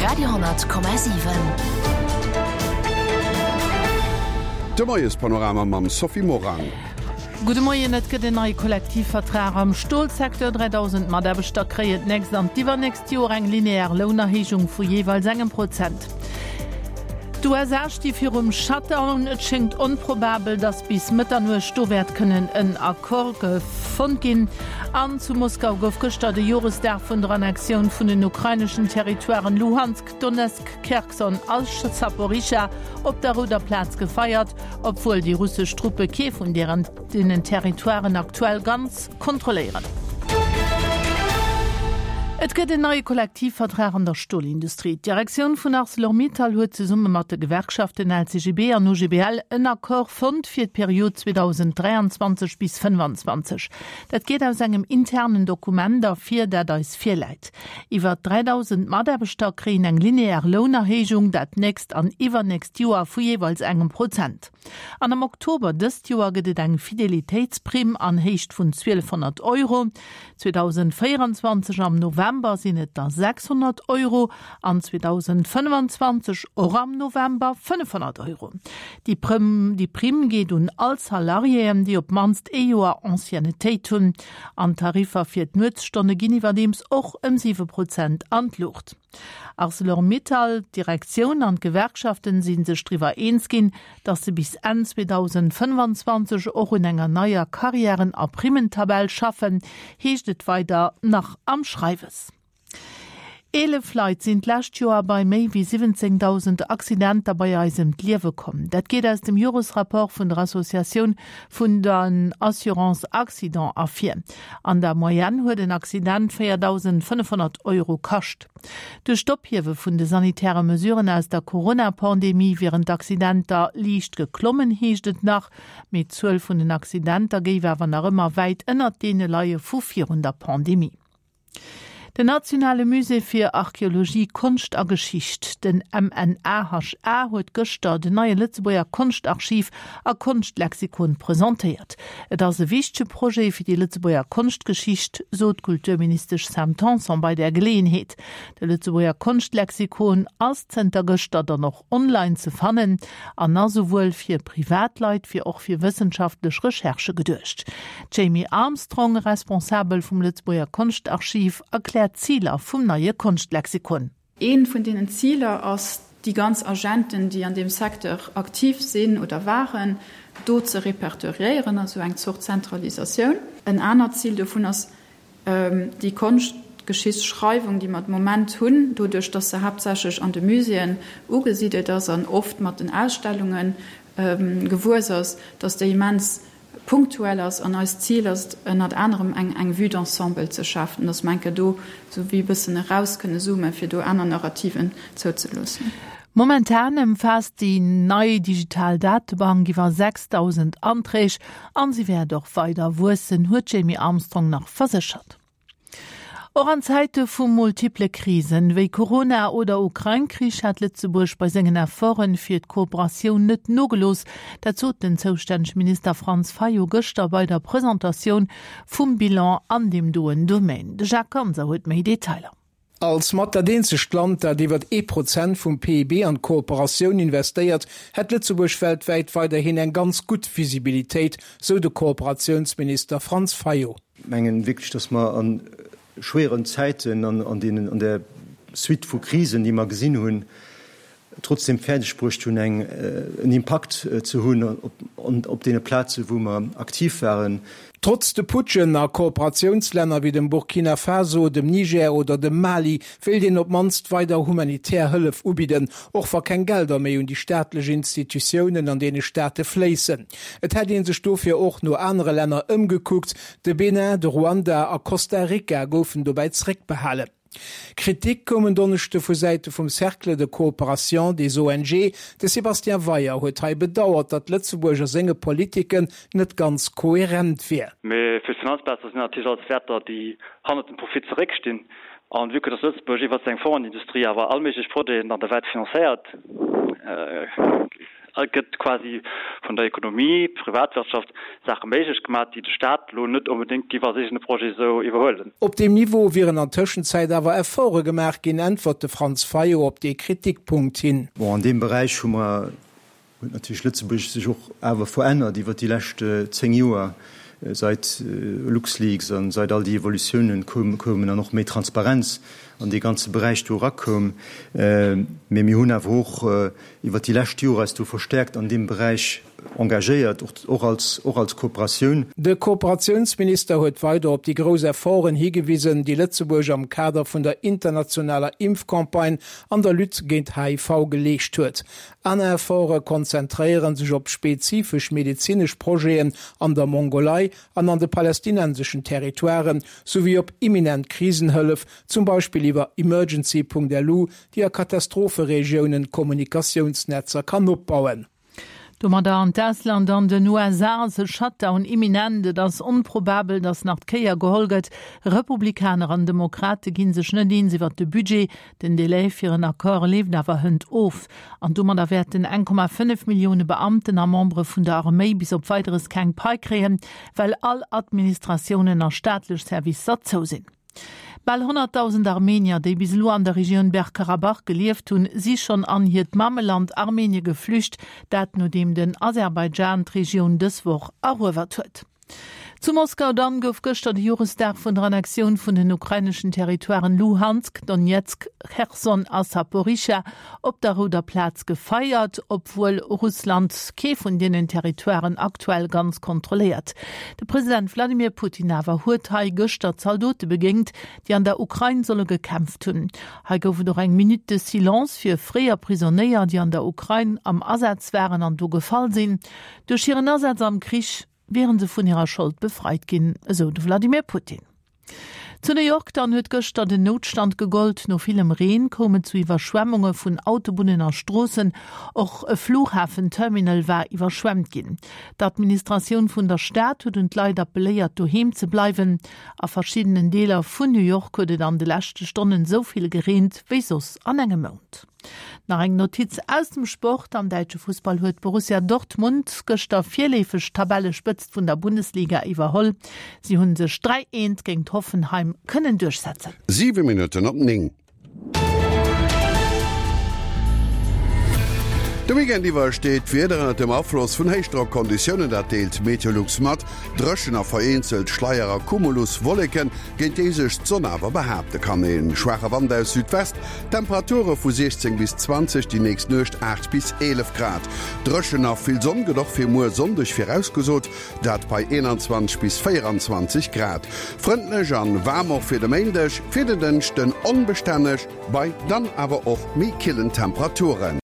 Radio,7. De Moiespanorama mam Sophie Morang. Gudde Moien, Et gëtt en neie Kollektivvertrag am Stolsecteur. 3.000 Mataarbechter kréien d'nächst an d'iwwernächst Joer eng linear Lounerhéijung vu jeeweils engem Prozent. D'USA sti virum Shutdown. Et schéngt onprobabel, datt bis Mëtternuecht do wäert kënnen en Accord fonnt ginn. An zu Moskau gouf gëschter de Joresdag vun der Annexioun vun den ukraineschen Territoiren Luhansk, Donezk, Kherson a Saporischschja op der Rouder Plaz gefeiert, obwuel déi russesch Truppe kee vun deenen Territoiren aktuell ganz kontrolléieren. Et gëtt en neie Kollektivvertrag an der Stolindustrie. D'Direktioun vun Arcelor-Mittal huet zesumme mat de Gewerkschaften LCGB an OGBL en Accord fonnt fir d'Period 2023 bis 25. Dat geet aus engem internen Dokument ervir, dat eis virläit. Iwwer 3.000 Mataarbechter kréien eng linear Lounerhéijung dat nächst an iwwernächst Joer vu jeeweils engem Prozent. An am Oktober dëst Joer gëtt et eng Fidelitéitsprimm an Héicht vun 1.200 Euro. 2024 am November sinn et da 600 Euro an 2025 och am November 500 Euro. Déi Primm geet un all Salariéen, déi op d'mannst ee Joer Anciennetéit hunn. An d'Tariffer fir d'Nuetsstonne ginn iwwerdeems och ëm 7 Prozent an d'Luucht. Arcelor-Mittal, D'Direktioun an d'Gewerkschaften si sech driwwer eens ginn, datt se bis Enn 2025 och un enger neier Karriären a Primmentabell schaffen, heescht et weider nach am Schreiwes. 11 Leit sinn d'lescht Joer bei méi wéi 17.000 Accidenter bei eis ëm d'Liewe komm. Dat geet aus dem Joresrapport vun der Associatioun vun den Assurances Accidents ervir. An der Moyenne huet en Accident 4.500 Euro kascht. Duerch d'Ophiewe vun de sanitäre Mesuren aus der Corona-Pandemie wieren d'Accidenter liicht geklommen, heescht et nach. Mee d'Zuel vun den Accidenter géif awer nach ëmmer wäit ënnert deene leie vu virun der Pandemie. Den nationale Musée fir Archeologie, Konscht a Geschicht, den MNAHA, huet gëschter den neie Lëtzebuerger Konschtarchiv a Konschtlexikon presentéiert. Et ass e wichtege Projet fir déi Lëtzebuerger Konschtgeschicht, sot d'Kulturministesch Sam Tanson bei där Geleeënheet. De Lëtzebuerger Konschtlexikon ass zënter gëschter dann och online ze fannen an ass esouwuel fir Privatleit wéi och fir wëssenschaftlech Recherchë geduecht. D'Jamie Armstrong, Responsabel vum Lëtzebuerger Konschtarchiv, erkläert d'Ziler vum neie Konschtlexikon. Eent vun deenen Ziler ass, déi ganz Agenten, déi an deem Secteur aktiv sinn oder waren, do ze repertoriéieren, also eng Zort Zentralisatioun. En anert Zil dovun ass, Déi Konschtgeschichtsschreiwung, déi mer de Moment hunn, doduerch datt se haaptsächlech an de Muséeën ugesidelt ass an oft mat den Ausstellunge gewuess ass, datt déi immens punktuell ass. An eist Zil ass et ënnert anerem eng Vue d'ensemble ze schafen, datt mer eng Kéier do esou wéi e bëssen eraus kënne zoomen, fir do aner Narrativen zouzeloossen. Momentan ëmfaasst déi nei digital Datebank iwwer 6.000 Anträg an si wäert och weider wuessen, huet d'Jamie Armstrong nach verséchert. Och an Zäite vu multiple Krisen, wéi Corona oder Ukrain-Krich, hat Lëtzebuerg bei sengen Efforte fir d'Kooperatioun net nogelooss. Dat sot den zoustännege Minister Franz Fayot gëschter bei der Presentatioun vum Bilan an deem doen Domaine. De Jacques Ganser huet méi Detailer. Als mat dat eenzegt Land, dat iwwer ee Prozent vum PIB an d'Kooperatioun investéiert, hätt Lëtzebuerg weltwäit weiderhin eng ganz gutt Visibilitéit, sou de Kooperatiounsminister Franz Fayot. Mengen wierklech, dass mer a schwéieren Zäiten an an deenen, an där Suite vu Krisen, déi mer gesinn hunn, trotzdem fäerdeg bruecht hunn, eng, en Impakt ze hunn op, op deene Plaze wou mer aktiv waren. Trotz de Putschen a Kooperatiounslänner wéi dem Burkina Faso, dem Niger oder dem Mali wéilt een op d'mannst weider humanitär Hëllef ubidden, och wa keng Gelder méi un déi staatlech Institutiounen an deene Staate fléissen. Et hätt ee sech dofir och no anere Länner ëmgekuckt, de Benin, de Ruanda a Costa Rica goufen dobäi zeréckbehalen. Kritik koum en Donneschde vu Säite vum Cercle de coopération des ONG. De Sébastien Weier huet hei bedauert, datt Lëtzebuerg a senge Politiken net ganz koherent wier. Mee fir d'Finanzplaze sinn natierlech alles Wäerter, déi hannert dem Profit zeréckstinn. An vue que dass Lëtzebuerg iwwert seng Fongenindustrie awer all méiglech Projeten an der Welt financéiert. gëtt quasi vun der Ekonomie, Privatwirtschaft, Saache méiglech gemaach, déi de Staat elo net onbedéngt géif als eegene Projet esou iwwerhuelen. Op deem Niveau wieren an Tëschenzäit awer Efforte gemaach ginn, äntwert de Franz Fayot op dee Kritikpunkt hin. Bon, an deem Beräich hu mer, huet natierlech Lëtzebuerg sech och awer verännert iwwert déi lescht 10 Joer, seit LuxLeaks a seit all déi Evolutiounen koumen an och méi Transparenz an dee ganze Beräich do erakoum. Mee mir hunn awer och iwwert déi lescht Joer eis do verstärkt an deem Beräich engagéiert, och als, och als Kooperatioun. De Kooperatiounsminister huet weider op déi grouss Efforten higewisen, déi Lëtzebuerg am Kader vun der internationaler Impfcampagne an der Lutte géint HIV geleescht huet. Aner Efforte konzentréiere sech op spezifesch medezinesch Projeten an der Mongolei an an de palästinenseschen Territoiren, souwéi op imminent Krisenhëllef, zum Beispill iwwer Emergency.lu, déi a Katastropheregiounen Kommunikatiounsnetzer kann opbauen. Domadder an d'Ausland, An den USA ass e Shutdown imminent. Et ass onprobabel, datt nach d'Kéier geholl gëtt. Republikaner an Demokrate gi sech net eens iwwer de Budget. Den Delai fir en Accord leeft awer hënt of. An domadder wäerten 1,5 Millioune Beamten a Membere vun der Arméi bis op Weideres keng Pai kréien, well all Administratiounen a staatlech Servicer zou sinn. Bal 100.000 Armenier, déi bis elo an der Regioun Bergkarabach gelieft hunn, si schonn an hiert Mammeland Armenie geflücht, dat nodeem den Aserbaidschan d'Regioun dës Woch eruewert huet. Zu Moskau dann gouf gëschter de Joresdag vun der Annexioun vun den ukraineschen Territoiren Luhansk, Donezk, Cherson a Saporischschja op der Rouder Plaz gefeiert, obwuel Russland kee vun deenen Territoiren aktuell ganz kontrolléiert. De President Wladimir Putin awer huet hei gëschter Zaldote begéingt, déi an der Ukrain solle gekämpft hunn. Hei gouf et och eng Minute de silence fir fréier Prisonéier, déi an der Ukrain am Asaz waren an do gefall sinn. Duerch hiren Asaz am Krich wiere se vun hirer Schold befreit ginn, esou de Wladimir Putin. Zu New York dann huet gëschter den Noutstand gegollt. No villem Reen koum et zu Iwwerschwemmunge vun Autobunnen a Stroossen. Och e Fluchhafenterminal war iwwerschwemmt ginn. D'Administratioun vun der Stad huet un d'Leit appelléiert, doheem ze bleiwen. A verschiddenen Deeler vun New York huet et an de leschte Stonnen esou vill gereent wéi soss an engem Mount. Nach eng Notiz aus dem Sport, Am däitsche Fussball huet Borussia Dortmund gëschter virleefeg d'Tabellespëtzt vun der Bundesliga iwwerholl. Si hunn sech 3, 1 géint Hoffenheim kënnen duerchsetzen. 7 Minutten op 9. De Weekend iwwer steet d'Wieder ënnert dem Afloss vun Héichdrockkonditiounen, dat deelt Meteolux mat. Dréchen a vereenzelt Schleier a Cumuluswolleken, géint déi sech d'Sonn awer behaapte kann. E schwaache Wand aus Südwest Temperature vu 16 bis 20, déi nächst Nuecht 8 bis 11 Grad. Dréchen a vill Sonn gëtt och fir muer Sonndeg virausgesot, dat bei 21 bis 24 Grad. Frëndlech an waarm och fir de Méindeg, fir den Dënschden onbestänneg bei dann awer och méi killen Temperaturen.